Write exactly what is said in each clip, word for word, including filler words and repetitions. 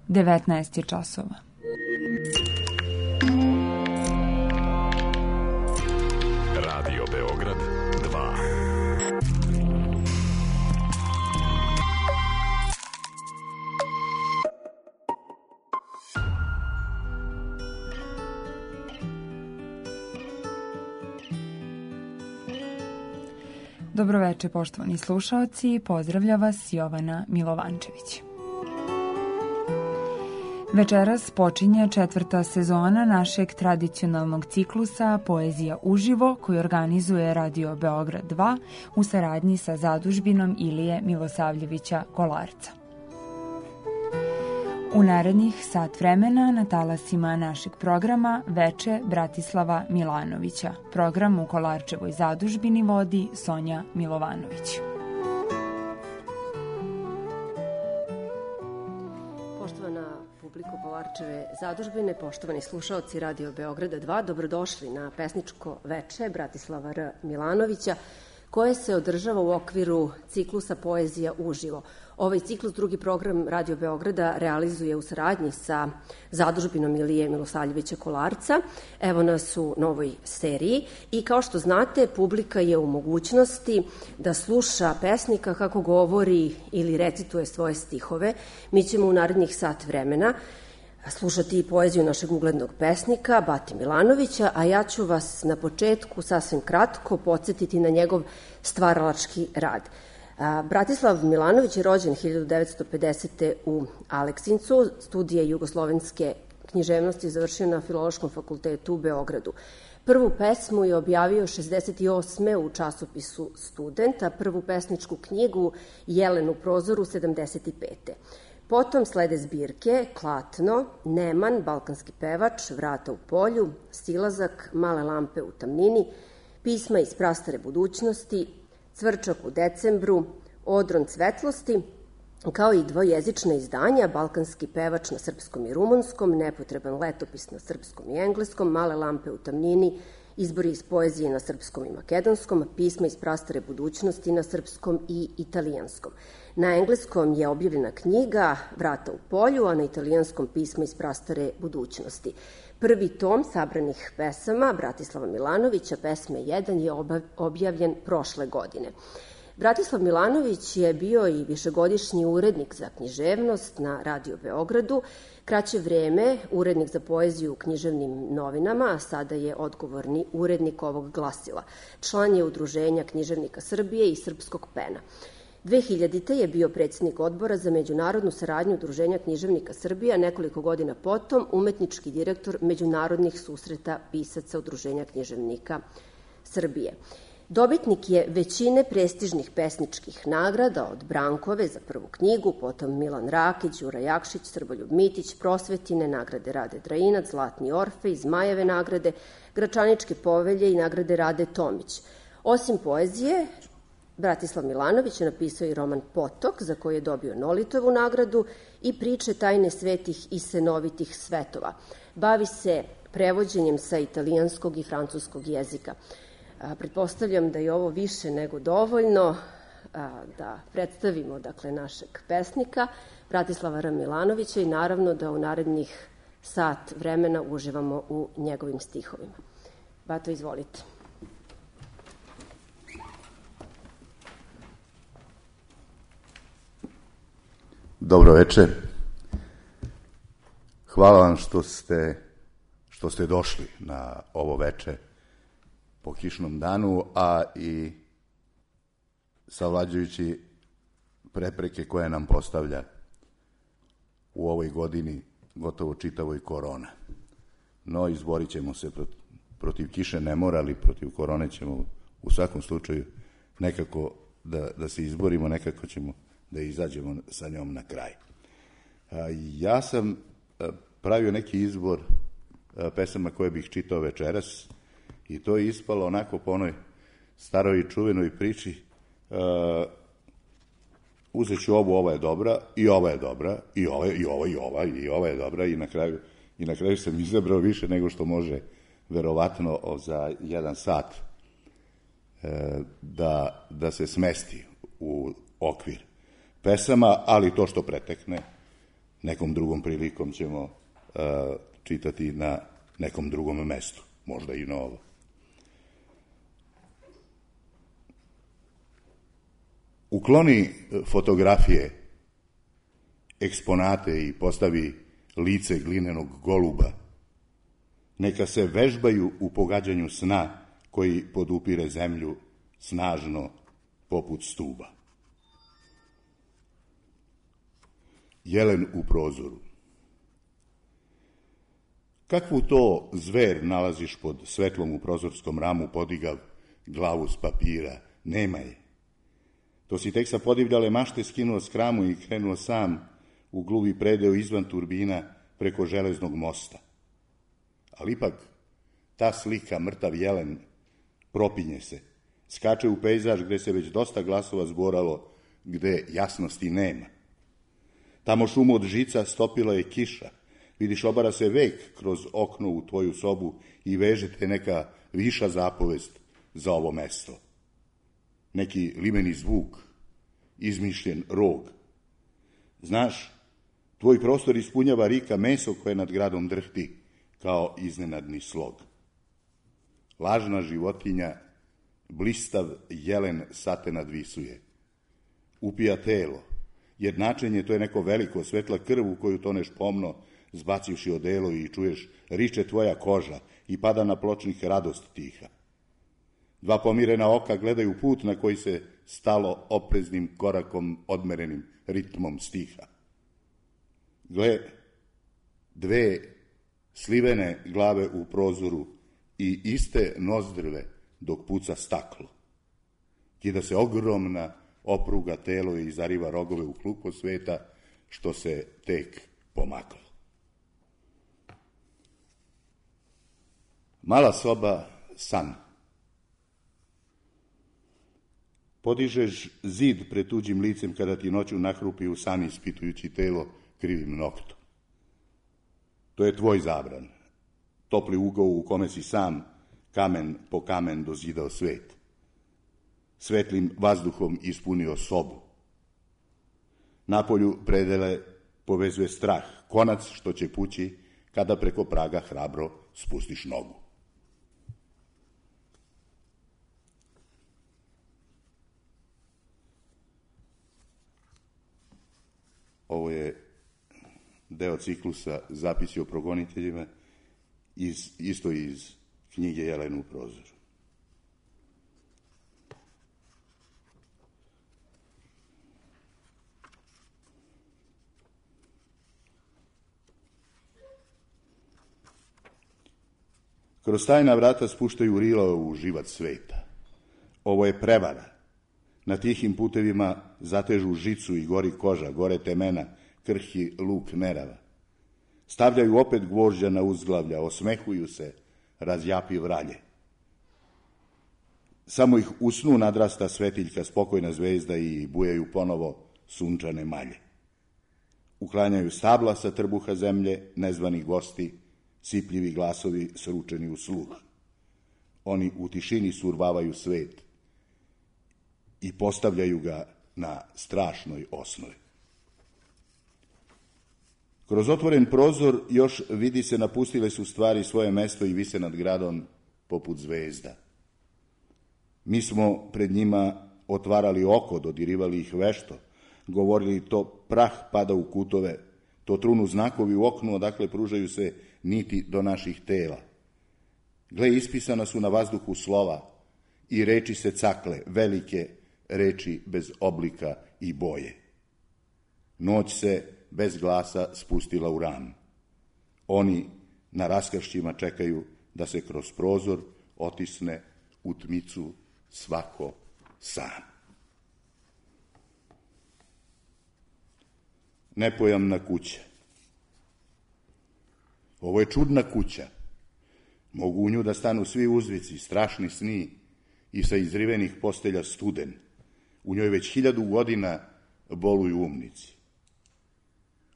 devetnaest je časova. Radio Beograd dva. Dobroveče, poštovani slušaoci, pozdravlja vas Jovana Milovančević. Večeras počinje četvrta sezona našeg tradicionalnog ciklusa Poezija uživo koju organizuje Radio Beograd dva u saradnji sa zadužbinom Ilije Milosavljevića Kolarca. U narednih sat vremena na talasima našeg programa Veče Bratislava Milanovića. Program u Kolarčevoj zadužbini vodi Sonja Milovanović. Poštovana publiko Kolarčeve zadužbine, poštovani slušaoci Radio Beograda dva, dobrodošli na pesničko veče Bratislava R. Milanovića, koje se održava u okviru ciklusa Poezija uživo. Ovaj ciklus, drugi program Radio Beograda, realizuje u saradnji sa zadužbinom Ilije Milosavljevića Kolarca. Evo nas u novoj seriji i kao što znate, publika je u mogućnosti da sluša pesnika kako govori ili recituje svoje stihove. Mi ćemo u narednih sat vremena slušati poeziju našeg uglednog pesnika Bate Milanovića, a ja ću vas na početku sasvim kratko podsjetiti na njegov stvaralački rad. Bratislav Milanović je rođen hiljadu devetsto pedesete. u Aleksincu, studije jugoslovenske književnosti završio na Filološkom fakultetu u Beogradu. Prvu pesmu je objavio šezdeset osme. u časopisu Student, a prvu pesničku knjigu Jelen u prozoru sedamdeset pete. Potom slede zbirke Klatno, Neman, Balkanski pevač, Vrata u polju, Silazak, Male lampe u tamnini, Pisma iz prastare budućnosti, Cvrčak u decembru, Odron svetlosti, kao i dvojezična izdanja Balkanski pevač na srpskom i rumunskom, Nepotreban letopis na srpskom i engleskom, Male lampe u tamnini, Izbori iz poezije na srpskom i makedonskom, Pisma iz prastare budućnosti na srpskom i italijanskom. Na engleskom je objavljena knjiga Vrata u polju, a na italijanskom Pisma iz prastare budućnosti. Prvi tom sabranih pesama Bratislava Milanovića, pesme jedan, je objavljen prošle godine. Bratislav Milanović je bio i višegodišnji urednik za književnost na Radio Beogradu, kraće vreme urednik za poeziju u književnim novinama, a sada je odgovorni urednik ovog glasila. Član je Udruženja književnika Srbije i Srpskog pena. dve hiljadite. je bio predsjednik odbora za međunarodnu saradnju Udruženja književnika Srbije, a nekoliko godina potom umetnički direktor međunarodnih susreta pisaca Udruženja književnika Srbije. Dobitnik je većine prestižnih pesničkih nagrada, od Brankove za prvu knjigu, potom Milan Rakić, Đura Jakšić, Srboljub Mitić, Prosvetine, nagrade Rade Drajinac, Zlatni Orfej, Zmajeve nagrade, Gračaničke povelje i nagrade Rade Tomić. Osim poezije, Bratislav Milanović je napisao i roman Potok, za koji je dobio Nolitovu nagradu, i priče Tajne svetih i senovitih svetova. Bavi se prevođenjem sa italijanskog i francuskog jezika. A, pretpostavljam da je ovo više nego dovoljno a, da predstavimo dakle, našeg pesnika Bratislava R. Milanovića i naravno da u narednih sat vremena uživamo u njegovim stihovima. Bato, izvolite. Dobro večer. Hvala vam što ste, što ste došli na ovo veče po kišnom danu, a i savlađujući prepreke koje nam postavlja u ovoj godini gotovo čitavoj korona. No, izborit ćemo se protiv, protiv kiše ne mora, ali protiv korone ćemo u svakom slučaju nekako da, da se izborimo, nekako ćemo da izađemo sa njom na kraj. Ja sam pravio neki izbor pesama koje bih čitao večeras i to je ispalo onako po onoj staroj i čuvenoj priči. Uzet ću ovu, ova je dobra, i ova je dobra, i ova, i ova, i ova, i ova je dobra, i na kraju, i na kraju sam izabrao više nego što može verovatno za jedan sat da, da se smesti u okvir pesama, ali to što pretekne, nekom drugom prilikom ćemo uh, čitati na nekom drugom mestu, možda i novo. Ukloni fotografije, eksponate i postavi lice glinenog goluba. Neka se vežbaju u pogađanju sna koji podupire zemlju snažno poput stuba. Jelen u prozoru. Kakvu to zver nalaziš pod svetlom u prozorskom ramu, podigav glavu s papira? Nema je. To si tek sa podivljale mašte skinuo s kramu i krenuo sam u gluvi predeo izvan turbina preko železnog mosta. Ali ipak ta slika, mrtav jelen, propinje se, skače u pejzaž gde se već dosta glasova zboralo, gde jasnosti nema. Tamo šumu od žica stopila je kiša, vidiš obara se vek kroz okno u tvoju sobu i vežete neka viša zapovest za ovo mesto. Neki limeni zvuk, izmišljen rog. Znaš, tvoj prostor ispunjava rika meso koje nad gradom drhti kao iznenadni slog. Lažna životinja, blistav jelen sate nadvisuje. Upija telo, jednačenje to je neko veliko, svetla krv u koju toneš pomno, zbacivši odelo i čuješ riče tvoja koža i pada na pločnik radost tiha. Dva pomirena oka gledaju put na koji se stalo opreznim korakom odmerenim ritmom stiha. Gle, dve slivene glave u prozoru i iste nozdrve dok puca staklo. Kida se ogromna opruga telo i zariva rogove u klupo sveta što se tek pomaklo. Mala soba, san. Podižeš zid pred tuđim licem kada ti noću nahrupi u san ispitujući telo krivim noktom. To je tvoj zabran, topli ugao u kome si sam, kamen po kamen dozidao svet. Svetlim vazduhom ispunio sobu. Napolju predele povezuje strah, konac što će pući kada preko praga hrabro spustiš nogu. Ovo je deo ciklusa Zapisi o progoniteljima, iz, isto iz knjige Jelen u prozoru. Kroz tajna vrata spuštaju rila u živac sveta. Ovo je prevara. Na tihim putevima zatežu žicu i gori koža, gore temena, krhki luk nerava. Stavljaju opet gvožđa na uzglavlja, osmehuju se, razjapi vralje. Samo ih u snu nadrasta svetiljka, spokojna zvezda i bujaju ponovo sunčane malje. Uklanjaju stabla sa trbuha zemlje, nezvani gosti, sipljivi glasovi sručeni u sluh. Oni u tišini survavaju svet i postavljaju ga na strašnoj osnovi. Kroz otvoren prozor još vidi se napustile su stvari svoje mesto i vise nad gradom poput zvezda. Mi smo pred njima otvarali oko, dodirivali ih vešto, govorili to prah pada u kutove, to trunu znakovi u oknu, odakle pružaju se niti do naših tela. Gle, ispisana su na vazduhu slova i reči se cakle, velike reči bez oblika i boje. Noć se bez glasa spustila u ran. Oni na raskršćima čekaju da se kroz prozor otisne u tmicu svako sam. Nepojamna kuća. Ovo je čudna kuća. Mogu u nju da stanu svi uzvici, strašni sni i sa izrivenih postelja studen. U njoj već hiljadu godina boluju umnici.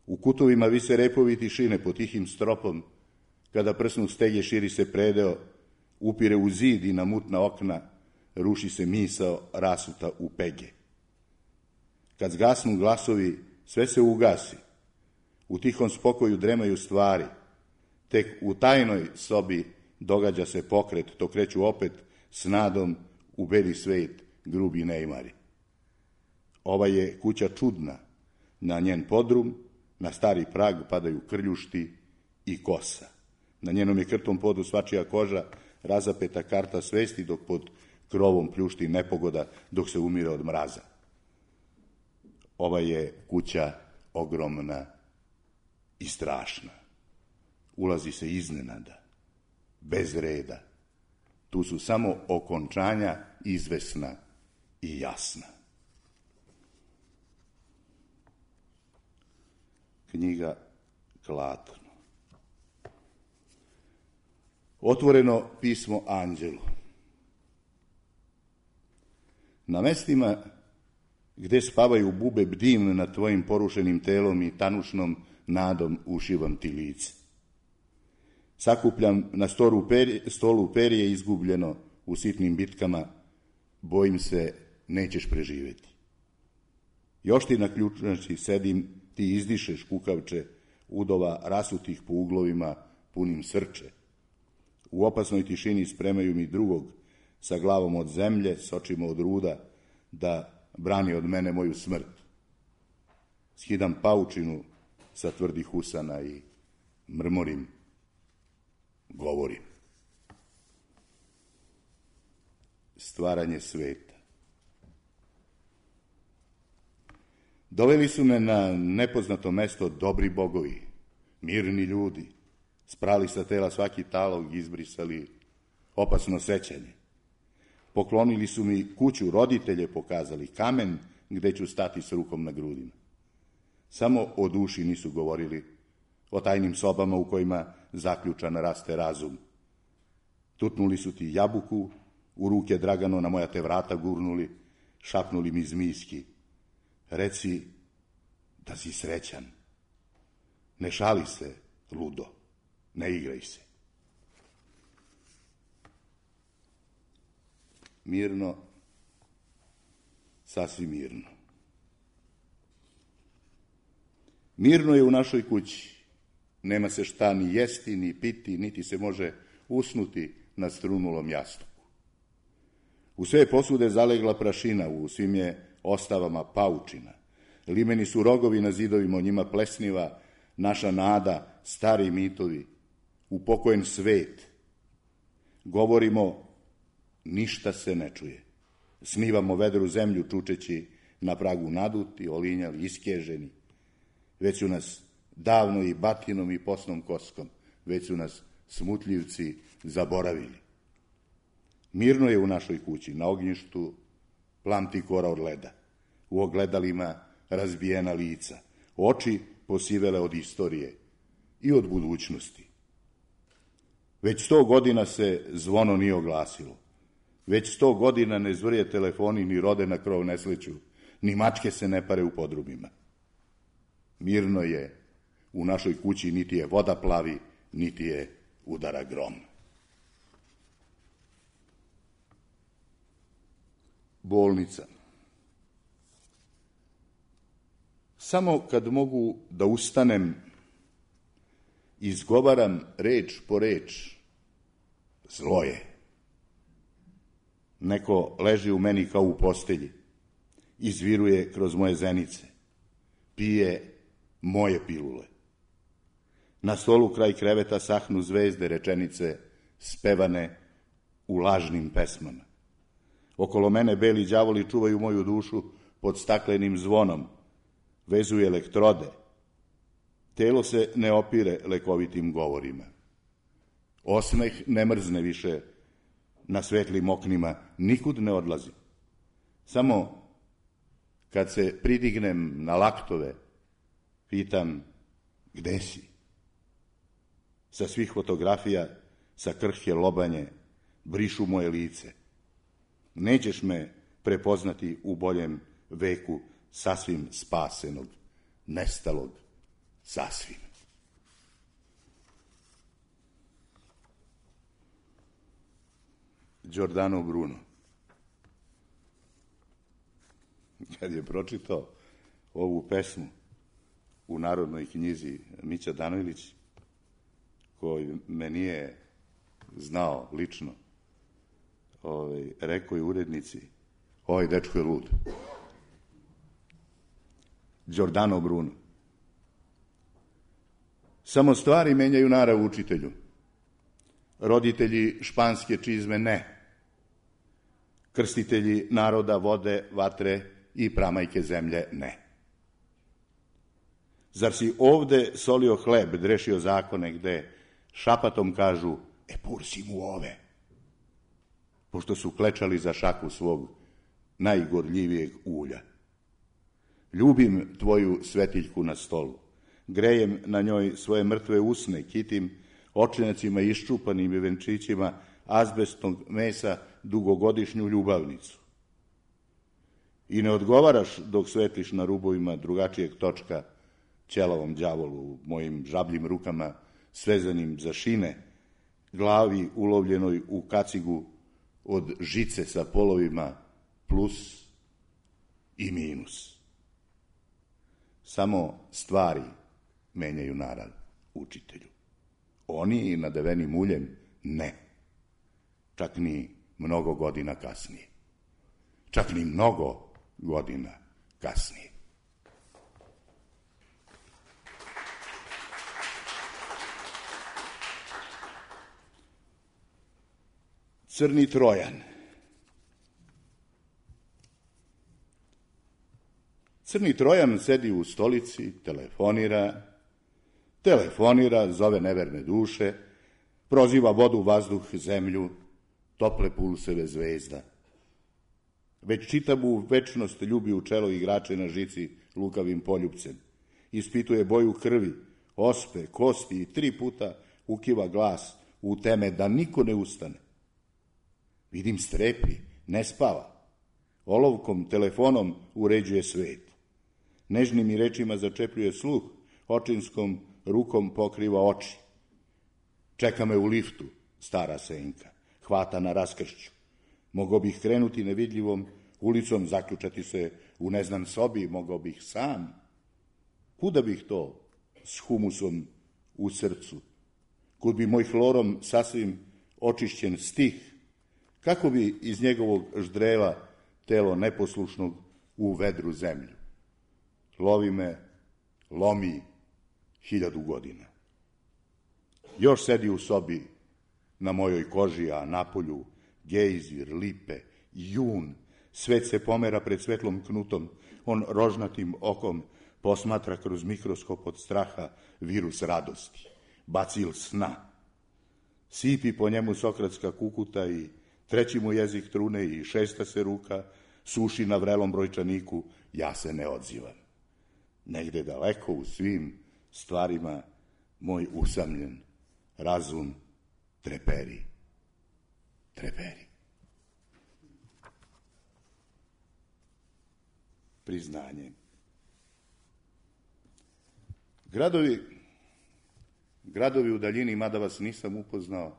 U kutovima vise repovi tišine pod tihim stropom, kada prsnu stege širi se predeo, upire u zid i na mutna okna, ruši se misao rasuta u pege. Kad zgasnu glasovi, sve se ugasi. U tihom spokoju dremaju stvari. Tek u tajnoj sobi događa se pokret, to kreću opet s nadom u beli svet grubi neimari. Ova je kuća čudna. Na njen podrum, na stari prag padaju krljušti i kosa. Na njenom je krtom podu svačija koža, razapeta karta svesti, dok pod krovom pljušti nepogoda, dok se umire od mraza. Ova je kuća ogromna i strašna. Ulazi se iznenada, bez reda. Tu su samo okončanja izvesna i jasna. Knjiga Klatno. Otvoreno pismo anđelu. Na mestima gde spavaju bube, bdim nad tvojim porušenim telom i tanušnom nadom ušivam ti lice. Sakupljam na stolu perje, stolu perje izgubljeno u sitnim bitkama, bojim se nećeš preživeti. Još ti na ključnači sedim, ti izdišeš kukavče, udova rasutih po uglovima punim srče. U opasnoj tišini spremaju mi drugog, sa glavom od zemlje, s očima od ruda, da brani od mene moju smrt. Skidam paučinu sa tvrdih usana i mrmorim, govorim. Stvaranje sveta. Doveli su me na nepoznato mesto dobri bogovi, mirni ljudi, sprali sa tela svaki talog, izbrisali opasno sećanje. Poklonili su mi kuću, roditelje pokazali, kamen gde ću stati s rukom na grudima. Samo o duši nisu govorili, o tajnim sobama u kojima zaključan raste razum. Tutnuli su ti jabuku, u ruke Dragano na moja te vrata gurnuli, šapnuli mi zmijski. Reci da si srećan. Ne šali se, ludo, ne igraj se. Mirno, sasvim mirno. Mirno je u našoj kući. Nema se šta ni jesti, ni piti, niti se može usnuti na strunulom jastuku. U sve posude zalegla prašina, u svim je ostavama paučina. Limeni su rogovi na zidovima, o njima plesniva naša nada, stari mitovi, upokojen svet. Govorimo, ništa se ne čuje. Snivamo vedru zemlju, čučeći na pragu naduti, olinjali, iskeženi. Već su nas davno i batinom i posnom koskom, već su nas smutljivci zaboravili. Mirno je u našoj kući, na ognjištu plamti kora od leda, u ogledalima razbijena lica, oči posivele od istorije i od budućnosti. Već sto godina se zvono nije oglasilo, već sto godina ne zvrje telefoni, ni rode na krov ne sliču, ni mačke se ne pare u podrumima. Mirno je u našoj kući, niti je voda plavi, niti je udara grom. Bolnica. Samo kad mogu da ustanem, izgovaram reč po reč, zlo je. Neko leži u meni kao u postelji, izviruje kroz moje zenice, pije moje pilule. Na stolu kraj kreveta sahnu zvezde, rečenice spevane u lažnim pesmama. Okolo mene beli đavoli čuvaju moju dušu pod staklenim zvonom, vezuju elektrode. Telo se ne opire lekovitim govorima. Osmeh ne mrzne više na svetlim oknima, nikud ne odlazi. Samo kad se pridignem na laktove, pitam, gde si? Sa svih fotografija, sa krhke lobanje, brišu moje lice. Nećeš me prepoznati u boljem veku sasvim spasenog, nestalog, sasvim. Giordano Bruno. Kad je pročitao ovu pesmu, u Narodnoj knjizi Mića Danojlić, koji me nije znao lično, ovaj, rekao je urednici, ovaj dečko je lud. Giordano Bruno. Samo stvari menjaju narav učitelju. Roditelji španske čizme ne. Krstitelji naroda vode, vatre i pramajke zemlje ne. Zar si ovde solio hleb, drešio zakone gde šapatom kažu, e pursi mu ove, pošto su klečali za šaku svog najgorljivijeg ulja. Ljubim tvoju svetiljku na stolu, grejem na njoj svoje mrtve usne, kitim očenjacima iščupanim i venčićima azbestnog mesa dugogodišnju ljubavnicu. I ne odgovaraš dok svetliš na rubovima drugačijeg točka ćelavom đavolu, mojim žabljim rukama svezanim za šine, glavi ulovljenoj u kacigu od žice sa polovima plus i minus. Samo stvari menjaju narav učitelju. Oni nadeveni muljem ne. Čak ni mnogo godina kasnije. Čak ni mnogo godina kasnije. Crni Trojan. Crni Trojan sedi u stolici, telefonira, telefonira, zove neverne duše, proziva vodu, vazduh, zemlju, tople pulseve zvezda. Već čitavu večnost ljubi u čelo igrače na žici lukavim poljupcem. Ispituje boju krvi, ospe, kosti i tri puta ukiva glas u teme da niko ne ustane. Vidim strepi, ne spava. Olovkom, telefonom uređuje svet. Nežnim i rečima začepljuje sluh, očinskom rukom pokriva oči. Čeka me u liftu, stara senka, hvata na raskršću. Mogao bih krenuti nevidljivom ulicom, zaključati se u neznan sobi, mogao bih sam. Kuda bih to s humusom u srcu? Kud bi moj hlorom sasvim očišćen stih, kako bi iz njegovog ždrela telo neposlušnog u vedru zemlju? Lovi me, lomi hiljadu godina. Još sedi u sobi na mojoj koži, a napolju gejzir, lipe, jun, svet se pomera pred svetlom knutom, on rožnatim okom posmatra kroz mikroskop od straha virus radosti, bacil sna. Sipi po njemu sokratska kukuta i treći mu jezik trune i šesta se ruka suši na vrelom brojčaniku, ja se ne odzivam. Negde daleko u svim stvarima moj usamljen razum treperi, treperi. Priznanje. Gradovi, gradovi u daljini, mada vas nisam upoznao,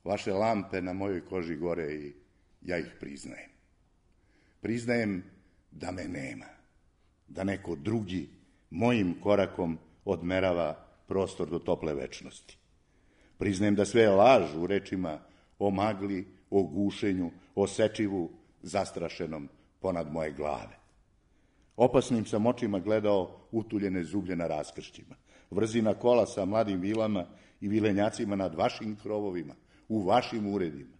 vaše lampe na mojoj koži gore i ja ih priznajem. Priznajem da me nema, da neko drugi mojim korakom odmerava prostor do tople večnosti. Priznajem da sve je laž u rečima o magli, o gušenju, o sečivu zastrašenom ponad moje glave. Opasnim sam očima gledao utuljene zublje na raskršćima, vrzina kola sa mladim vilama i vilenjacima nad vašim krovovima, u vašim uredima.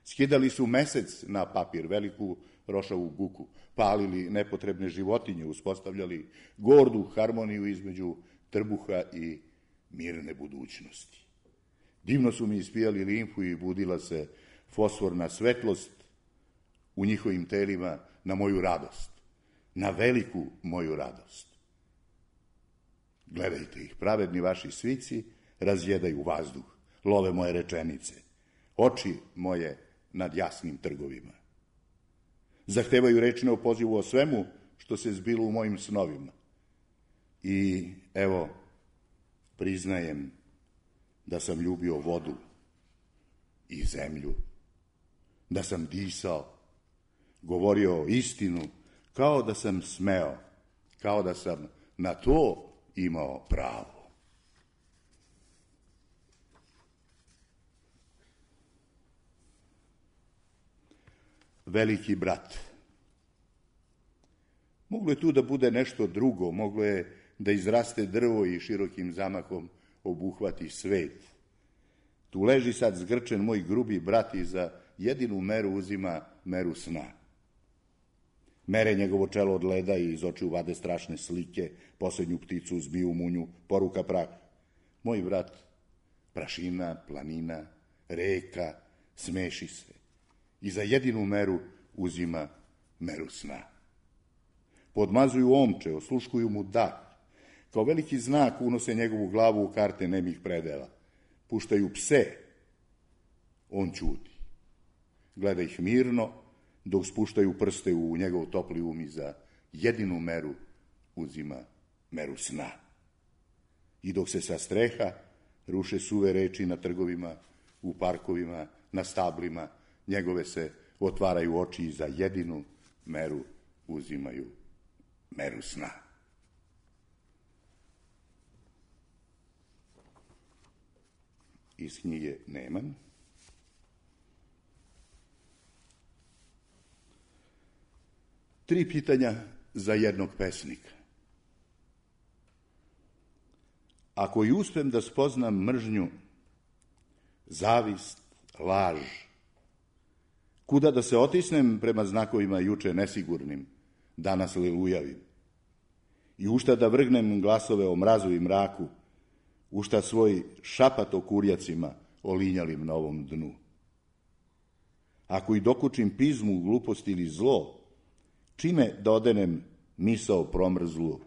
Skidali su mesec na papir, veliku rošavu buku, palili nepotrebne životinje, uspostavljali gordu harmoniju između trbuha i mirne budućnosti. Divno su mi ispijali limfu i budila se fosforna svetlost u njihovim telima na moju radost, na veliku moju radost. Gledajte ih, pravedni vaši svici razjedaju vazduh, love moje rečenice, oči moje nad jasnim trgovima. Zahtevaju rečne o pozivu o svemu što se zbilo u mojim snovima. I evo, priznajem da sam ljubio vodu i zemlju, da sam disao, govorio istinu, kao da sam smeo, kao da sam na to imao pravo. Veliki brat. Moglo je tu da bude nešto drugo, moglo je da izraste drvo i širokim zamahom obuhvati svet. Tu leži sad zgrčen moj grubi brat i za jedinu meru uzima meru sna. Mere njegovo čelo od leda i iz očiju vade strašne slike, posljednju pticu, zmiju, munju, poruka prah. Moj brat, prašina, planina, reka, smeši se i za jedinu meru uzima meru sna. Podmazuju omče, osluškuju mu dah, kao veliki znak unose njegovu glavu u karte nemih predela. Puštaju pse, on ćuti. Gleda ih mirno, dok spuštaju prste u njegov topli um i za jedinu meru uzima meru sna. I dok se sa streha ruše suve reči na trgovima, u parkovima, na stablima, njegove se otvaraju oči i za jedinu meru uzimaju meru sna. Iz knjige Neman. Tri pitanja za jednog pesnika. Ako i uspem da spoznam mržnju, zavist, laž, kuda da se otisnem prema znakovima juče nesigurnim, danas lilujavim, i u šta da vrgnem glasove o mrazu i mraku, u šta svoj šapat o kurjacima olinjalim na ovom dnu. Ako i dokučim pizmu, glupost ili zlo, čime da odenem misao promrzlu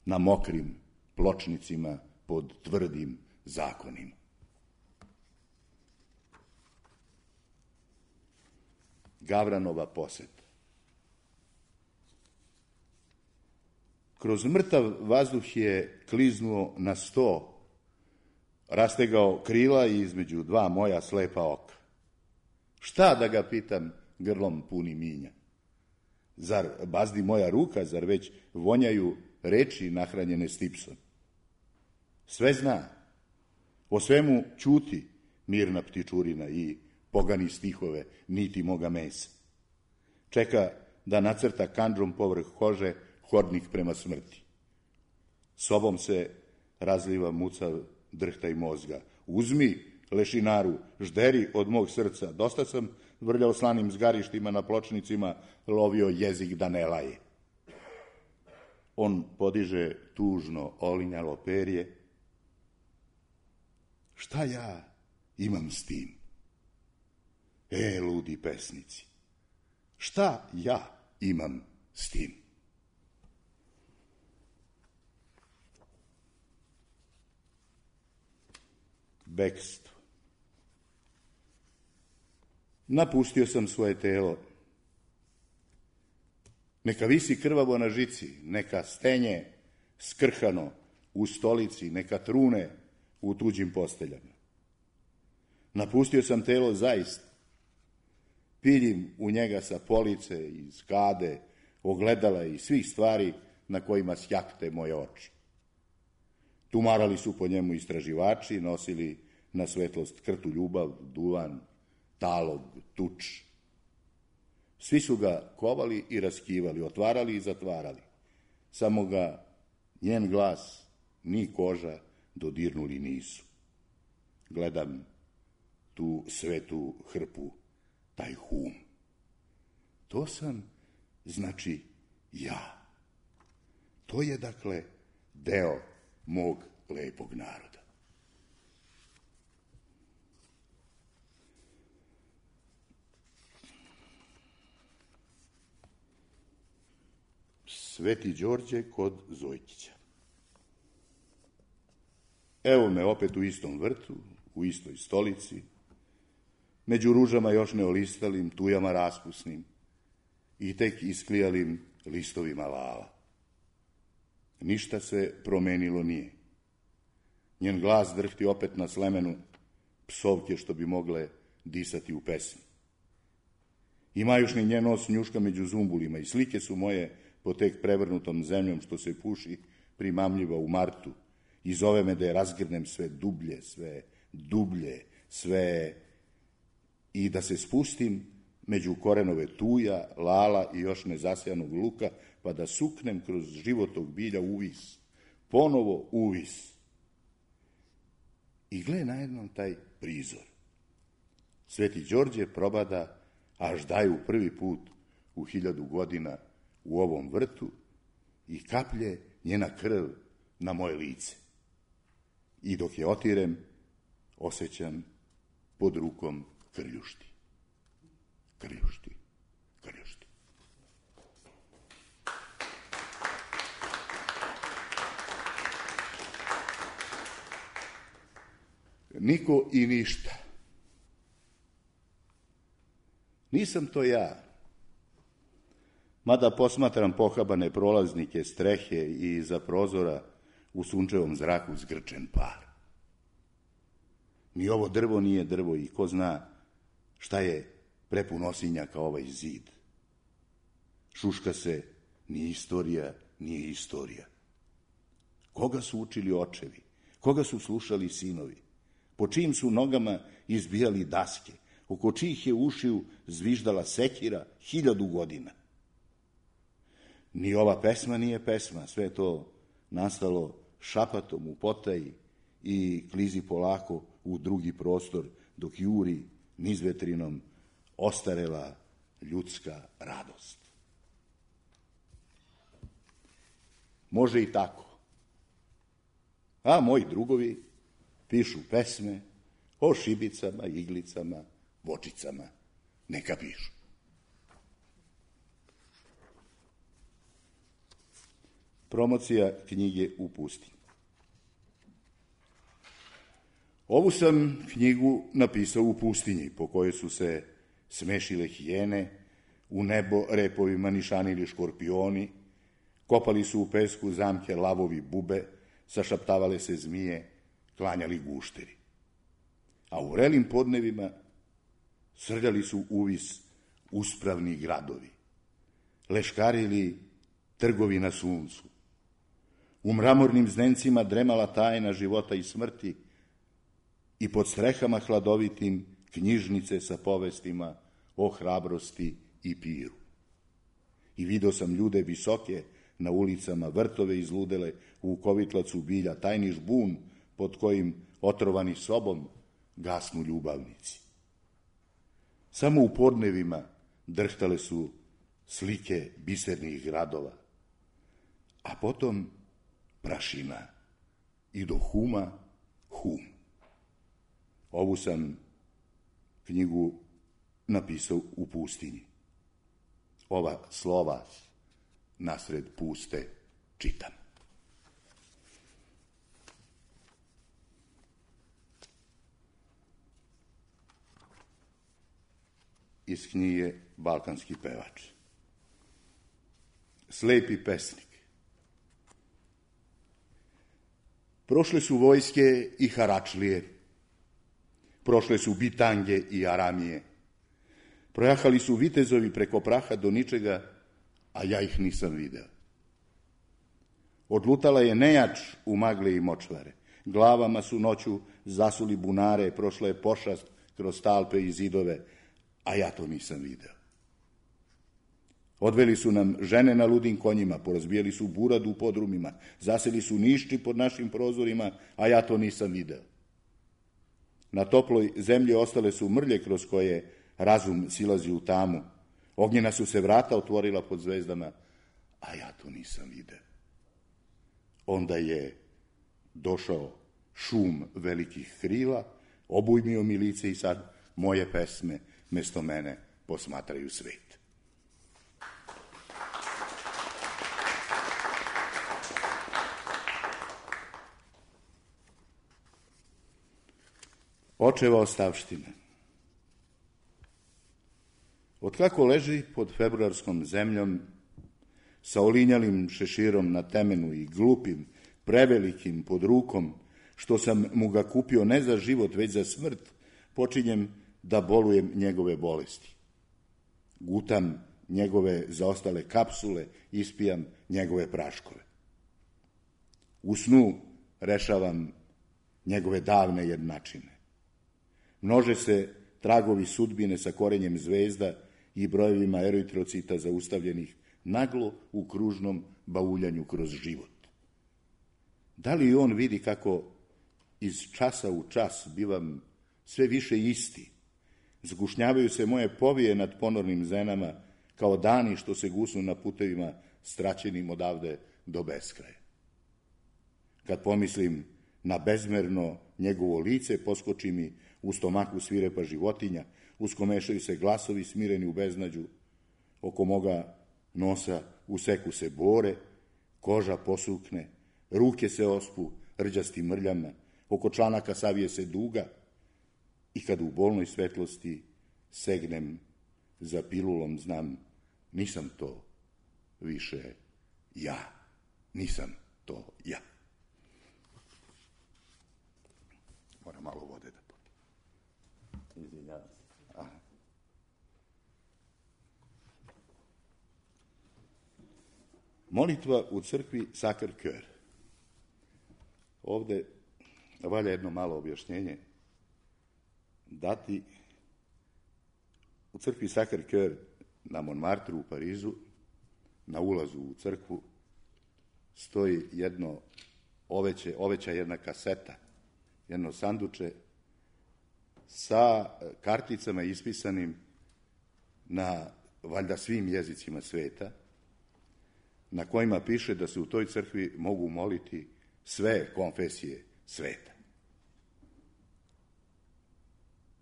na mokrim pločnicima pod tvrdim zakonima? Gavranova poseta. Kroz mrtav vazduh je kliznuo na sto, rastegao krila i između dva moja slepa oka. Šta da ga pitam grlom puni minja? Zar bazdi moja ruka, zar već vonjaju reči nahranjene stipsom? Sve zna, o svemu ćuti mirna ptičurina i pogani stihove niti moga mesa. Čeka da nacrta kandžom povrh kože hodnik prema smrti. Sobom se razliva mucav drhtaj mozga. Uzmi, lešinaru, žderi od mog srca. Dosta sam vrljao slanim zgarištima na pločnicima, lovio jezik da ne laje. On podiže tužno olinjalo perje. Šta ja imam s tim? E, ludi pesnici, šta ja imam s tim? Bekstvo. Napustio sam svoje telo. Neka visi krvavo na žici, neka stenje skrhano u stolici, neka trune u tuđim posteljama. Napustio sam telo zaista. Piljim u njega sa police, iz kade, ogledala i svih stvari na kojima sjakte moje oči. Tumarali su po njemu istraživači, nosili na svetlost krtu ljubav, duvan, talog, tuč. Svi su ga kovali i raskivali, otvarali i zatvarali. Samo ga njen glas, ni koža dodirnuli nisu. Gledam tu svetu hrpu, taj hum. To sam, znači, ja. To je, dakle, deo mog lepog naroda. Sveti Đorđe kod Zojkića. Evo me opet u istom vrtu, u istoj stolici, među ružama još neolistalim, tujama raspusnim i tek isklijalim listovima lala. Ništa se promenilo nije. Njen glas drhti opet na slemenu, psovke što bi mogle disati u pesmi. I majušni njen nos njuška među zumbulima i slike su moje po tek prevrnutom zemljom što se puši primamljiva u martu i zove me da je razgrnem sve dublje, sve dublje, sve i da se spustim među korenove tuja, lala i još nezasejanog luka, pa da suknem kroz životog bilja uvis, ponovo uvis. I gle najednom taj prizor. Sveti Đorđe probada, až daju prvi put u hiljadu godina u ovom vrtu i kaplje njena krv na moje lice. I dok je otirem, osjećam pod rukom krljušti. Krljušti, krljušti. Niko i ništa. Nisam to ja. Mada posmatram pohabane prolaznike, strehe i iza prozora u sunčevom zraku zgrčen par. Ni ovo drvo nije drvo i ko zna šta je prepun osinjaka ovaj zid. Šuška se, ni istorija, nije istorija. Koga su učili očevi? Koga su slušali sinovi? Po čijim su nogama izbijali daske? Oko čijih je ušiju zviždala sekira hiljadu godina? Ni ova pesma nije pesma, sve to nastalo šapatom u potaji i klizi polako u drugi prostor, dok juri nizvetrinom ostarela ljudska radost. Može i tako. A moji drugovi pišu pesme o šibicama, iglicama, vočicama. Neka pišu. Promocija knjige U pustinji. Ovu sam knjigu napisao u pustinji, po kojoj su se smešile hijene, u nebo repovima nišanili škorpioni, kopali su u pesku zamke lavovi bube, sašaptavale se zmije, klanjali gušteri. A u vrelim podnevima srljali su uvis uspravni gradovi, leškarili trgovi na suncu. U mramornim znencima dremala tajna života i smrti i pod strehama hladovitim knjižnice sa povestima o hrabrosti i piru. I vidio sam ljude visoke na ulicama, vrtove izludele u kovitlacu bilja, tajni žbun pod kojim otrovani sobom gasnu ljubavnici. Samo u podnevima drhtale su slike bisernih gradova, a potom prašina i do huma hum. Ovu sam knjigu napisao u pustinji. Ova slova nasred puste čitam. Iz knjige Balkanski pevač. Slepi pesnik. Prošle su vojske i haračlije, prošle su bitange i aramije, projahali su vitezovi preko praha do ničega, a ja ih nisam video. Odlutala je nejač u magle i močvare, glavama su noću zasuli bunare, prošla je pošast kroz talpe i zidove, a ja to nisam video. Odveli su nam žene na ludim konjima, porazbijali su buradu u podrumima, zaseli su nišči pod našim prozorima, a ja to nisam video. Na toploj zemlji ostale su mrlje kroz koje razum silazi u tamu. Ognjena su se vrata otvorila pod zvezdama, a ja to nisam video. Onda je došao šum velikih krila, obujmio mi lice i sad moje pesme mesto mene posmatraju svet. Očeva ostavština. Otkako leži pod februarskom zemljom, sa olinjalim šeširom na temenu i glupim, prevelikim pod rukom, što sam mu ga kupio ne za život, već za smrt, počinjem da bolujem njegove bolesti. Gutam njegove zaostale kapsule, ispijam njegove praškove. U snu rešavam njegove davne jednačine. Množe se tragovi sudbine sa korenjem zvezda i brojevima eritrocita zaustavljenih naglo u kružnom bauljanju kroz život. Da li on vidi kako iz časa u čas bivam sve više isti? Zgušnjavaju se moje povije nad ponornim zenama kao dani što se gusnu na putevima straćenim odavde do beskraja. Kad pomislim na bezmerno njegovo lice, poskoči mi u stomaku svirepa životinja, uskomešaju se glasovi smireni u beznađu, oko moga nosa useku se bore, koža posukne, ruke se ospu rđastim mrljama, oko članaka savije se duga i kad u bolnoj svetlosti segnem za pilulom, znam, nisam to više ja, nisam to ja. Moram malo vode da popijem. Izvinjavam se. Aha. Molitva u crkvi Sacré Cœur. Ovde valja jedno malo objašnjenje dati. U crkvi Sacré Cœur na Montmartru u Parizu, na ulazu u crkvu, stoji jedno oveće, oveća jedna kaseta, jedno sanduče sa karticama ispisanim na valjda svim jezicima sveta, na kojima piše da se u toj crkvi mogu moliti sve konfesije sveta.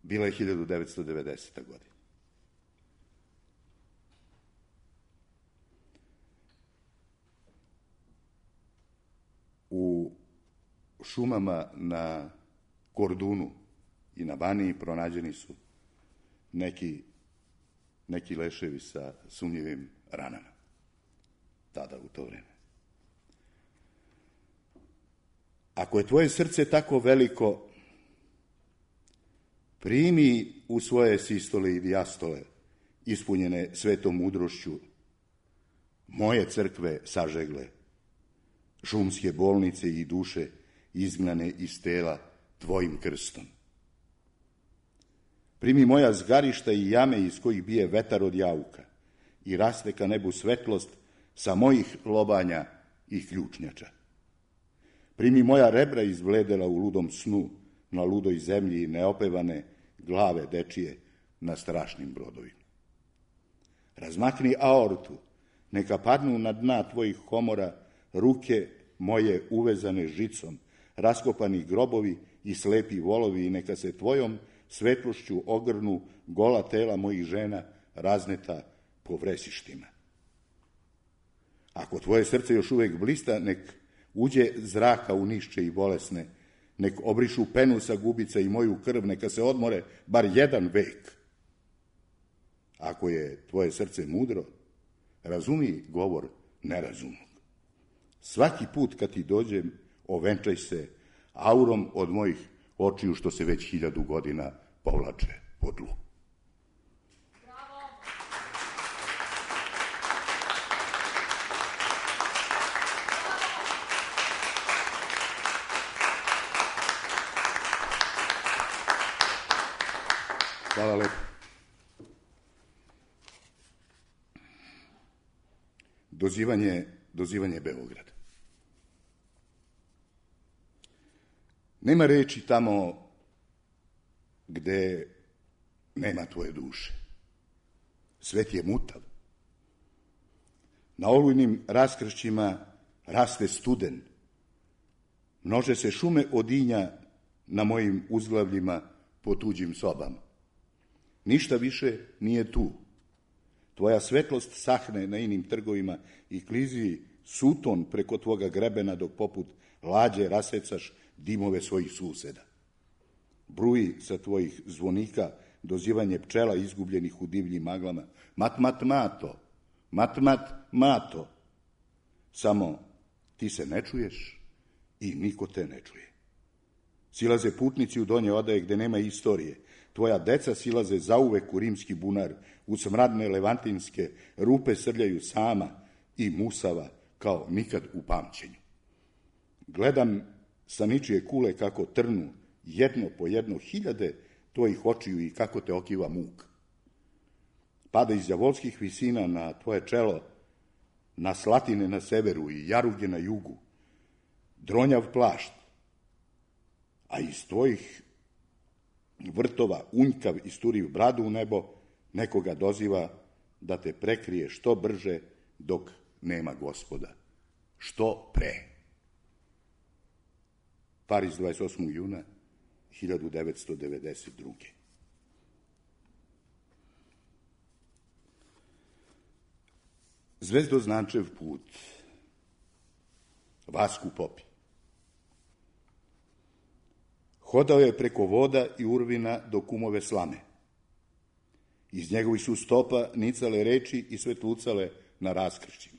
Bila je hiljadu devetsto devedeseta. godina. U šumama na Kordunu i na Baniji pronađeni su neki, neki leševi sa sumnjivim ranama. Tada, u to vreme. Ako je tvoje srce tako veliko, primi u svoje sistole i dijastole, ispunjene svetom mudrošću, moje crkve sažegle, šumske bolnice i duše izgnane iz tela tvojim krstom. Primi moja zgarišta i jame iz kojih bije vetar od jauka i raste ka nebu svetlost sa mojih lobanja i ključnjača. Primi moja rebra izbledela u ludom snu, na ludoj zemlji i neopevane glave dečije na strašnim brodovima. Razmakni aortu, neka padnu na dna tvojih komora ruke moje uvezane žicom, raskopani grobovi i slepi volovi i neka se tvojom svetlošću ogrnu gola tela mojih žena razneta po vresištima. Ako tvoje srce još uvek blista, nek uđe zraka u nišće i bolesne, nek obrišu penu sa gubica i moju krv, neka se odmore bar jedan vek. Ako je tvoje srce mudro, razumi govor nerazumnog. Svaki put kad ti dođem, ovenčaj se aurom od mojih očiju što se već hiljadu godina povlače po tlu. Hvala lepo. Dozivanje, dozivanje Beograda. Nema reči tamo gde nema tvoje duše. Svet je mutav. Na olujnim raskršćima raste studen. Množe se šume odinja na mojim uzglavljima po tuđim sobama. Ništa više nije tu. Tvoja svetlost sahne na inim trgovima i klizi suton preko tvoga grebena dok poput lađe rasecaš dimove svojih suseda. Bruji sa tvojih zvonika dozivanje pčela izgubljenih u divljim maglama. Mat, mat, mato, mat, mat, mato. Samo ti se ne čuješ i niko te ne čuje. Silaze putnici u donje odaje gde nema istorije. Tvoja deca silaze zauvek u rimski bunar, u smradne levantinske rupe srljaju sama i musava kao nikad u pamćenju. Gledam sa ničije kule kako trnu jedno po jedno hiljade tvojih očiju i kako te okiva muk. Pada iz đavolskih visina na tvoje čelo, na Slatine na severu i Jaruge na jugu, dronjav plašt, a iz tvojih vrtova unjkav isturiv bradu u nebo, nekoga doziva da te prekrije što brže dok nema Gospoda. Što pre. Pariz, dvadeset osmog juna hiljadu devetsto devedeset druge. Zvezdoznačev put. Vasku Popi. Hodao je preko voda i urvina do kumove slame. Iz njegovih su stopa nicale reči i svetlucale na raskršćima.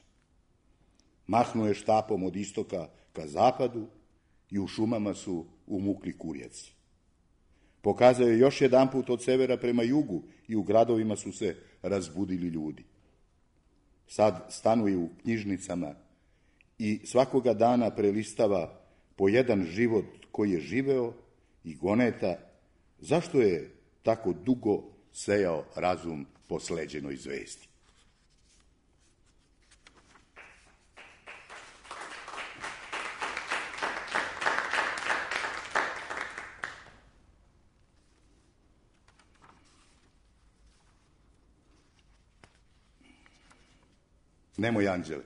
Mahnuo je štapom od istoka ka zapadu i u šumama su umukli kurjaci. Pokazao je još jedan put od severa prema jugu i u gradovima su se razbudili ljudi. Sad stanuje u knjižnicama i svakoga dana prelistava po jedan život koji je živeo i goneta zašto je tako dugo sejao razum po sleđenoj zvezdi. Nemoj, anđele.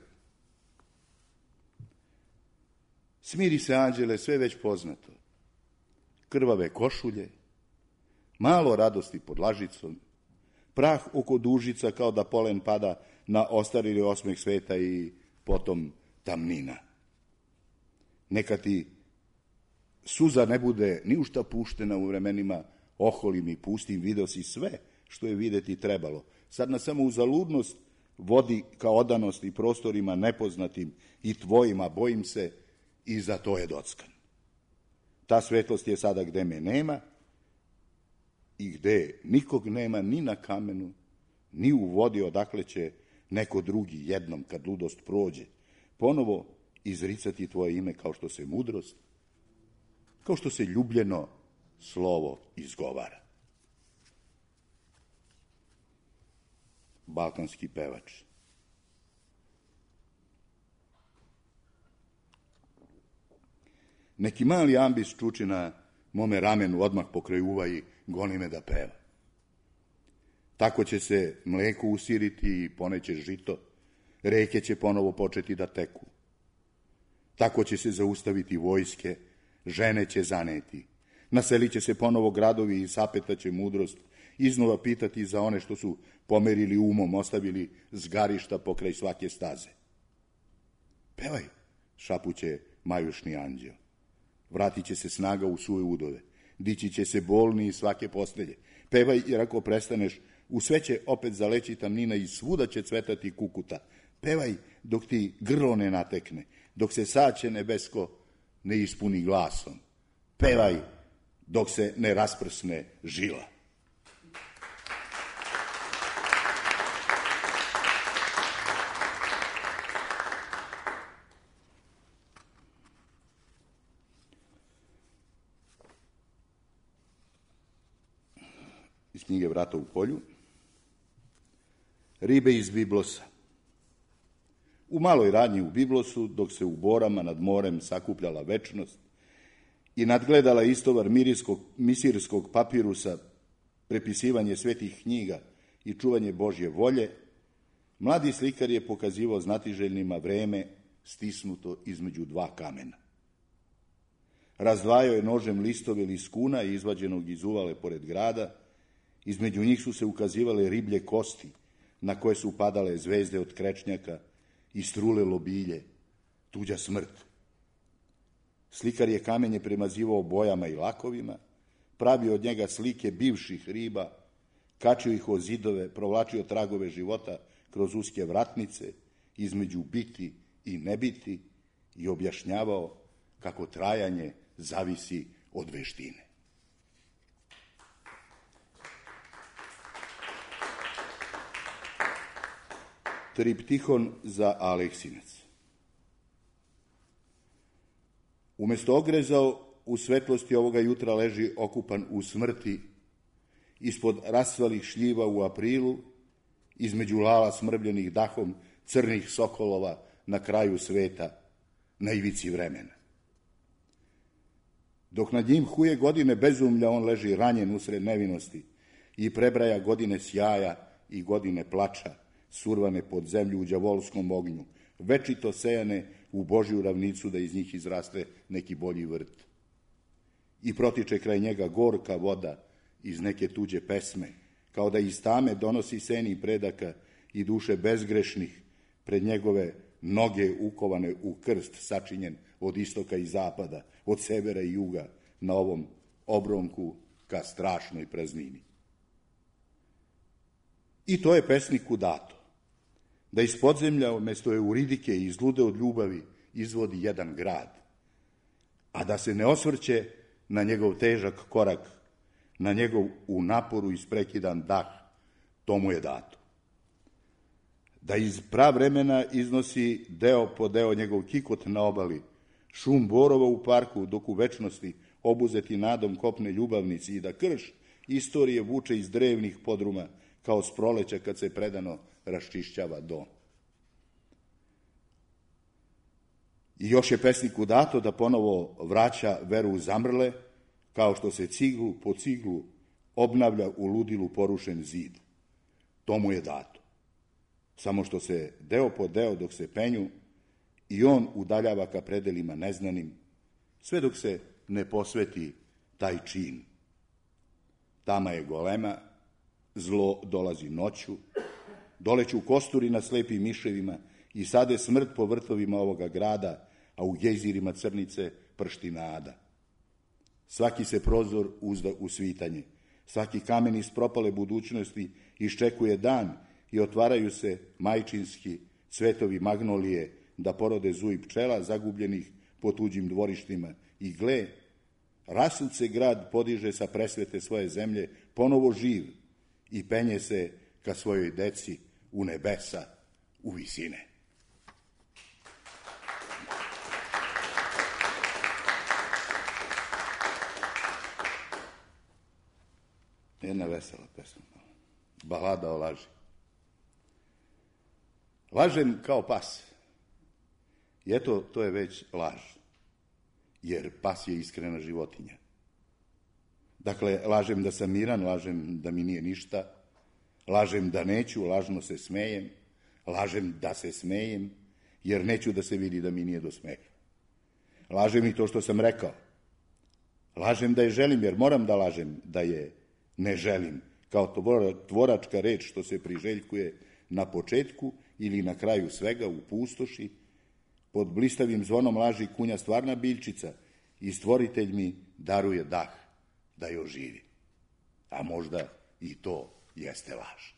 Smiri se, anđele, sve već poznato. Krvave košulje, malo radosti pod lažicom, prah oko dužica kao da polen pada na ostarili osmeh sveta i potom tamnina. Neka ti suza ne bude ni u šta puštena u vremenima oholim i pustim, video si sve što je videti trebalo. Sad na samo uzaludnost vodi ka odanosti prostorima nepoznatim i tvojima, bojim se, i za to je dockan. Ta svetlost je sada gde me nema i gde nikog nema ni na kamenu, ni u vodi odakle će neko drugi jednom, kad ludost prođe, ponovo izricati tvoje ime kao što se mudrost, kao što se ljubljeno slovo izgovara. Balkanski pevač. Neki mali ambis čuči na mome ramenu odmah pokraj uva i goni me da peva. Tako će se mleko usiriti i poneće žito, reke će ponovo početi da teku. Tako će se zaustaviti vojske, žene će zaneti, naselit će se ponovo gradovi i sapetaće mudrost, iznova pitati za one što su pomerili umom, ostavili zgarišta pokraj svake staze. Pevaj, šapuće majušni anđeo. Vratit će se snaga u svoje udove, dići će se bolni iz svake postelje. Pevaj, jer ako prestaneš, u sve će opet zaleći tamnina i svuda će cvetati kukuta. Pevaj dok ti grlo ne natekne, dok se saće nebesko ne ispuni glasom. Pevaj dok se ne rasprsne žila. Iz knjige Vrata u polju. Ribe iz Biblosa. U maloj radnji u Biblosu, dok se u borama nad morem sakupljala večnost i nadgledala istovar mirijskog, misirskog papirusa, prepisivanje svetih knjiga i čuvanje Božje volje, mladi slikar je pokazivao znatiželjnima vreme stisnuto između dva kamena. Razdvajao je nožem listove liskuna izvađenog iz uvale pored grada, između njih su se ukazivale riblje kosti, na koje su padale zvezde od krečnjaka i strule lobilje, tuđa smrt. Slikar je kamenje premazivao bojama i lakovima, pravio od njega slike bivših riba, kačio ih o zidove, provlačio tragove života kroz uske vratnice, između biti i nebiti i objašnjavao kako trajanje zavisi od veštine. Triptihon za Aleksinac. Umesto ogrezao u svetlosti ovoga jutra leži okupan u smrti, ispod rasvalih šljiva u aprilu, između lala smrbljenih dahom crnih sokolova na kraju sveta, na ivici vremena. Dok nad njim huje godine bezumlja, on leži ranjen usred nevinosti i prebraja godine sjaja i godine plača, survane pod zemlju u đavolskom ognju, večito sejane u Božju ravnicu da iz njih izraste neki bolji vrt. I protiče kraj njega gorka voda iz neke tuđe pesme, kao da iz tame donosi seni predaka i duše bezgrešnih pred njegove noge ukovane u krst sačinjen od istoka i zapada, od severa i juga, na ovom obronku ka strašnoj praznini. I to je pesniku dato, da iz podzemlja umesto Euridike i izlude od ljubavi izvodi jedan grad, a da se ne osvrće na njegov težak korak, na njegov u naporu isprekidan dah, to mu je dato. Da iz pravremena iznosi deo po deo njegov kikot na obali, šum borova u parku, dok u večnosti obuzeti nadom kopne ljubavnici, i da krš istorije vuče iz drevnih podruma, kao s proleća kad se predano raščišćava dom. I još je pesniku dato da ponovo vraća veru u zamrle, kao što se ciglu po ciglu obnavlja u ludilu porušen zid. To mu je dato. Samo što se deo po deo dok se penju i on udaljava ka predelima neznanim, sve dok se ne posveti taj čin. Tama je golema, zlo dolazi noću, doleću kosturi na slepim miševima i sade smrt po vrtovima ovoga grada, a u gejzirima crnice pršti nada. Svaki se prozor uzda u svitanje, svaki kamen iz propale budućnosti iščekuje dan i otvaraju se majčinski cvetovi magnolije da porode zuj pčela zagubljenih po tuđim dvorištima. I gle, rasut se grad podiže sa presvete svoje zemlje, ponovo živ, i penje se ka svojoj deci u nebesa, u visine. Jedna vesela pesma, balada o laži. Lažem kao pas. I eto, to je već laž, jer pas je iskrena životinja. Dakle, lažem da sam miran, lažem da mi nije ništa, lažem da neću, lažno se smejem, lažem da se smejem, jer neću da se vidi da mi nije do smeha. Lažem i to što sam rekao. Lažem da je želim, jer moram da lažem da je ne želim, kao tvoračka reč što se priželjkuje na početku ili na kraju svega u pustoši. Pod blistavim zvonom laži kunja stvarna biljčica i stvoritelj mi daruje dah da je oživi. A možda i to jeste laž.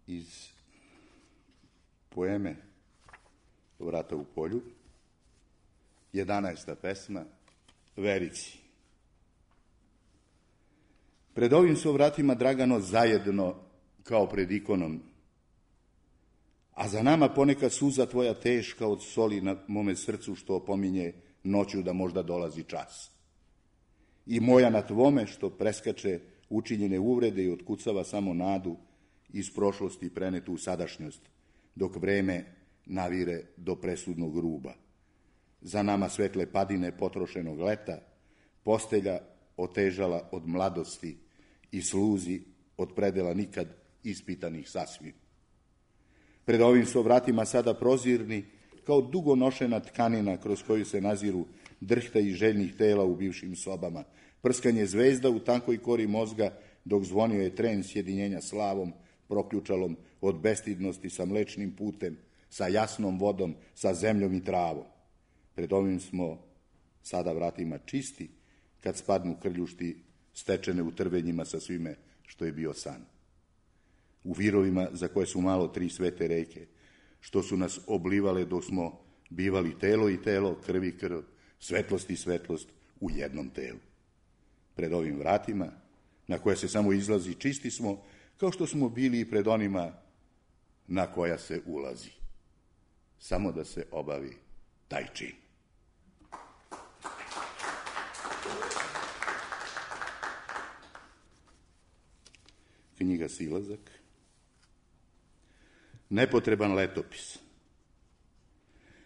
Iz poeme Vrata u polju, jedanaesta pesma, Verici. Pred ovim su vratima Dragano zajedno kao pred ikonom, a za nama poneka suza tvoja teška od soli na mome srcu što opominje noću da možda dolazi čas. I moja na tvome što preskače učinjene uvrede i otkucava samo nadu iz prošlosti prenetu u sadašnjost, dok vreme navire do presudnog ruba. Za nama svetle padine potrošenog leta, postelja otežala od mladosti i sluzi od predela nikad ispitanih sasvim. Pred ovim su vratima sada prozirni, kao dugo nošena tkanina kroz koju se naziru drhta i željnih tela u bivšim sobama, prskanje zvezda u tankoj kori mozga, dok zvonio je tren sjedinjenja slavom, proključalom od bestidnosti sa mlečnim putem, sa jasnom vodom, sa zemljom i travom. Pred ovim smo sada vratima čisti, kad spadnu krljušti stečene u trvenjima sa svime što je bio san. U virovima za koje su malo tri svete reke, što su nas oblivale dok smo bivali telo i telo, krv i krv, svetlost i svetlost u jednom telu. Pred ovim vratima, na koje se samo izlazi, čisti smo, kao što smo bili i pred onima na koja se ulazi. Samo da se obavi taj čin. Knjiga Silazak. Nepotreban letopis.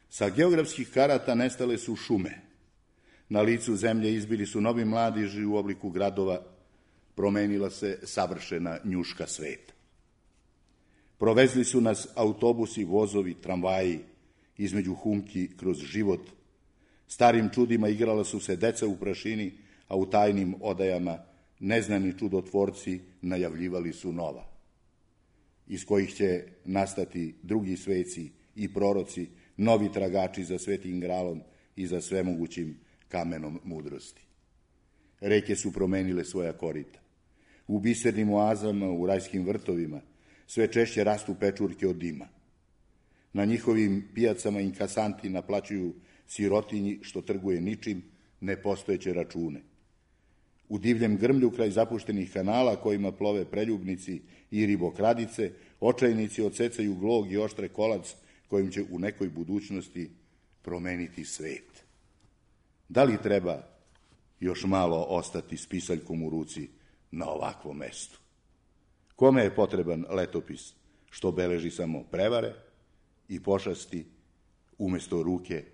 Sa geografskih karata nestale su šume. Na licu zemlje izbili su novi mladiži u obliku gradova, promenila se savršena njuška sveta. Provezli su nas autobusi, vozovi, tramvaji, između humki kroz život. Starim čudima igrala su se deca u prašini, a u tajnim odajama neznani čudotvorci najavljivali su nova, iz kojih će nastati drugi sveci i proroci, novi tragači za svetim gralom i za svemogućim kamenom mudrosti. Reke su promenile svoja korita. U bisernim oazama, u rajskim vrtovima, sve češće rastu pečurke od dima. Na njihovim pijacama inkasanti naplaćuju sirotinji što trguje ničim nepostojeće račune. U divljem grmlju kraj zapuštenih kanala kojima plove preljubnici i ribokradice, očajnici odsecaju glog i oštre kolac kojim će u nekoj budućnosti promeniti svet. Da li treba još malo ostati s pisaljkom u ruci na ovakvom mestu? Kome je potreban letopis što beleži samo prevare i pošasti umesto ruke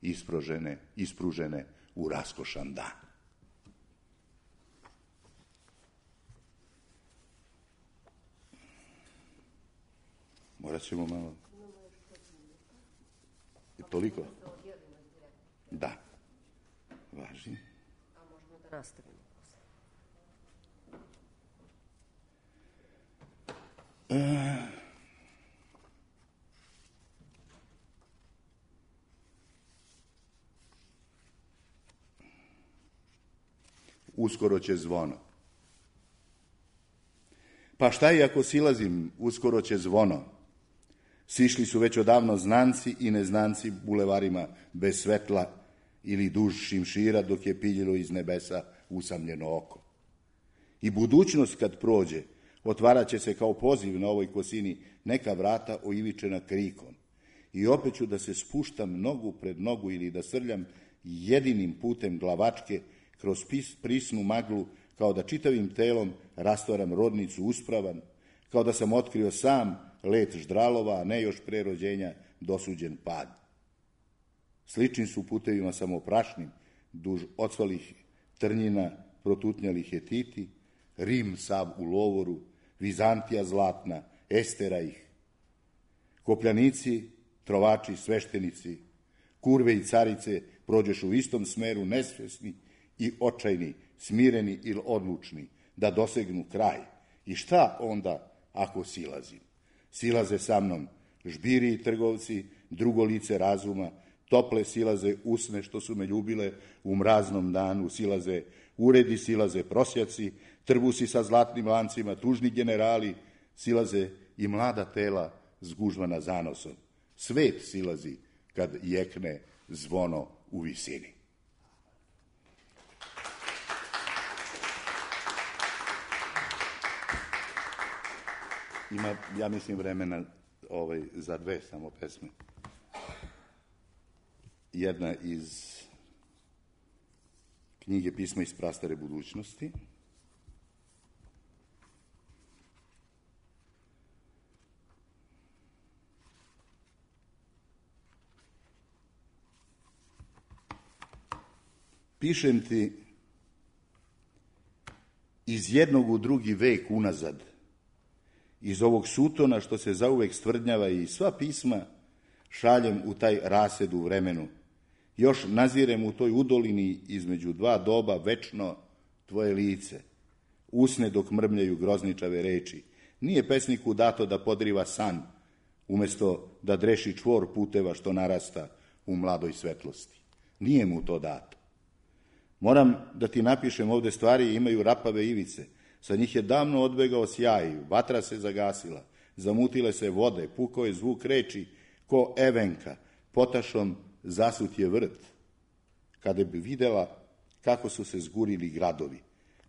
ispružene, ispružene u raskošan dan? Morat ćemo malo... Je toliko? Da. Važi. A možemo da nastavimo. E... Uskoro će zvono. Pa šta i ako silazim, uskoro će zvono. Sišli su već odavno znanci i neznanci bulevarima bez svetla ili duž šimšira dok je piljilo iz nebesa usamljeno oko. I budućnost kad prođe, otvarat će se kao poziv na ovoj kosini neka vrata oivičena krikom. I opet ću da se spuštam nogu pred nogu ili da srljam jedinim putem glavačke kroz prisnu maglu, kao da čitavim telom rastvaram rodnicu uspravan, kao da sam otkrio sam let ždralova, a ne još pre rođenja dosuđen pad. Slični su putevima samoprašnim, duž ocvalih trnjina protutnjali Hetiti, Rim sav u lovoru, Vizantija zlatna, Estera ih. Kopljanici, trovači, sveštenici, kurve i carice prođeš u istom smeru, nesvesni i očajni, smireni ili odlučni, da dosegnu kraj. I šta onda ako silazim? Silaze sa mnom žbiri i trgovci, drugo lice razuma, tople silaze usne što su me ljubile u mraznom danu, silaze uredi, silaze prosjaci, trbusi sa zlatnim lancima, tužni generali, silaze i mlada tela zgužvana zanosom. Svet silazi kad jekne zvono u visini. Ima, ja mislim, vremena ovaj, za dve samo pesme. Jedna iz knjige Pisma iz prastare budućnosti. Pišem ti iz jednog u drugi vek unazad, iz ovog sutona što se zauvek stvrdnjava i sva pisma šaljem u taj rased u vremenu. Još nazirem u toj udolini između dva doba večno tvoje lice. Usne dok mrmljaju grozničave reči. Nije pesniku dato da podriva san, umesto da dreši čvor puteva što narasta u mladoj svetlosti. Nije mu to dato. Moram da ti napišem ovde stvari, imaju rapave ivice. Sa njih je davno odbegao sjaj, vatra se zagasila, zamutile se vode, pukao je zvuk reči ko evenka, potašom zasut je vrt, kada bi videla kako su se zgurili gradovi,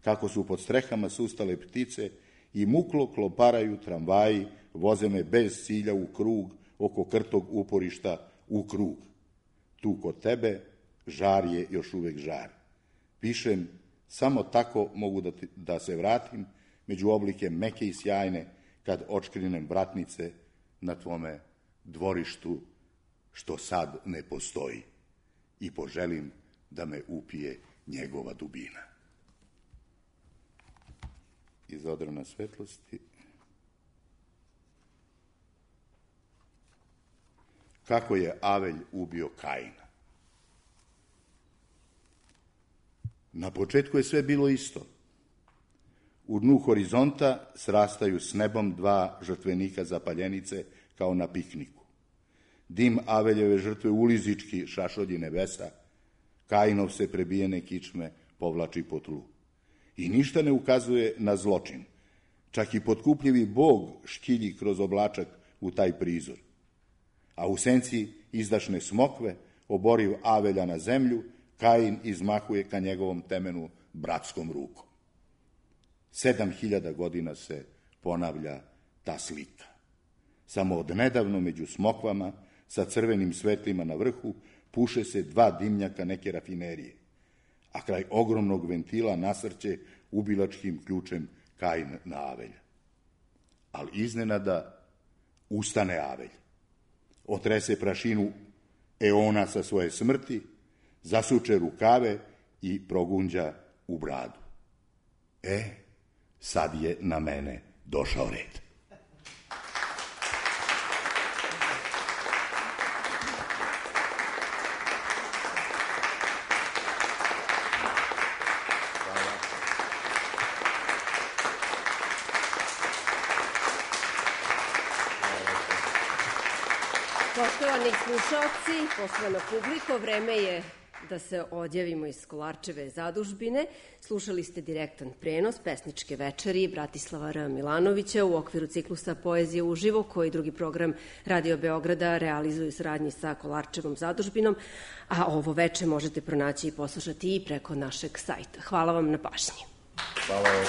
kako su pod strehama sustale ptice i muklo kloparaju tramvaji, voze me bez cilja u krug, oko krtog uporišta u krug. Tu kod tebe žar je još uvek žar. Pišem, samo tako mogu da, ti, da se vratim među oblike meke i sjajne, kad očkrinem vratnice na tvome dvorištu, što sad ne postoji, i poželim da me upije njegova dubina. Iz Odrana svetlosti. Kako je Avelj ubio Kaina? Na početku je sve bilo isto. U dnu horizonta srastaju s nebom dva žrtvenika zapaljenice kao na pikniku. Dim Aveljeve žrtve ulizički šašolji nebesa, Kainov se prebijene kičme povlači po tlu. I ništa ne ukazuje na zločin. Čak i potkupljivi Bog škilji kroz oblačak u taj prizor. A u senci izdašne smokve, oboriv Avelja na zemlju, Kain izmahuje ka njegovom temenu bratskom rukom. Sedam hiljada godina se ponavlja ta slika. Samo odnedavno među smokvama, sa crvenim svetlima na vrhu, puše se dva dimnjaka neke rafinerije, a kraj ogromnog ventila nasrće ubilačkim ključem Kain na Avelja. Ali iznenada ustane Avelj, otrese prašinu eona sa svoje smrti, zasuče rukave i progunđa u bradu. E, sad je na mene došao red. Poštovani slušalci, poštovana publiko, vreme je da se odjavimo iz Kolarčeve zadužbine. Slušali ste direktan prenos pesničke večeri Bratislava R. Milanovića u okviru ciklusa Poezije uživo, koji drugi program Radio Beograda realizuje u saradnji sa Kolarčevom zadužbinom, a ovo veče možete pronaći i poslušati i preko našeg sajta. Hvala vam na pažnji. Hvala vam.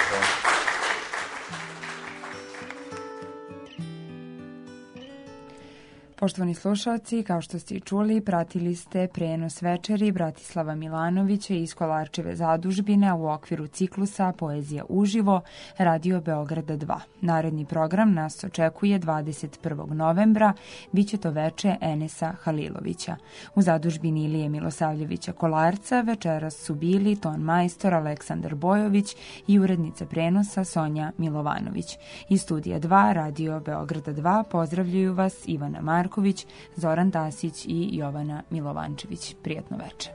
Poštovani slušalci, kao što ste i čuli, pratili ste prenos večeri Bratislava Milanovića iz Kolarčeve zadužbine u okviru ciklusa Poezija uživo Radio Beograda dva. Naredni program nas očekuje dvadeset prvog novembra, biće to veče Enesa Halilovića. U zadužbini Ilije Milosavljevića Kolarca večeras su bili ton majstor Aleksandar Bojović i urednica prenosa Sonja Milovanović. Iz studija dva Radio Beograda dva pozdravljaju vas Ivana Marković, Zoran Tasić i Jovana Milovančević. Prijatno večer.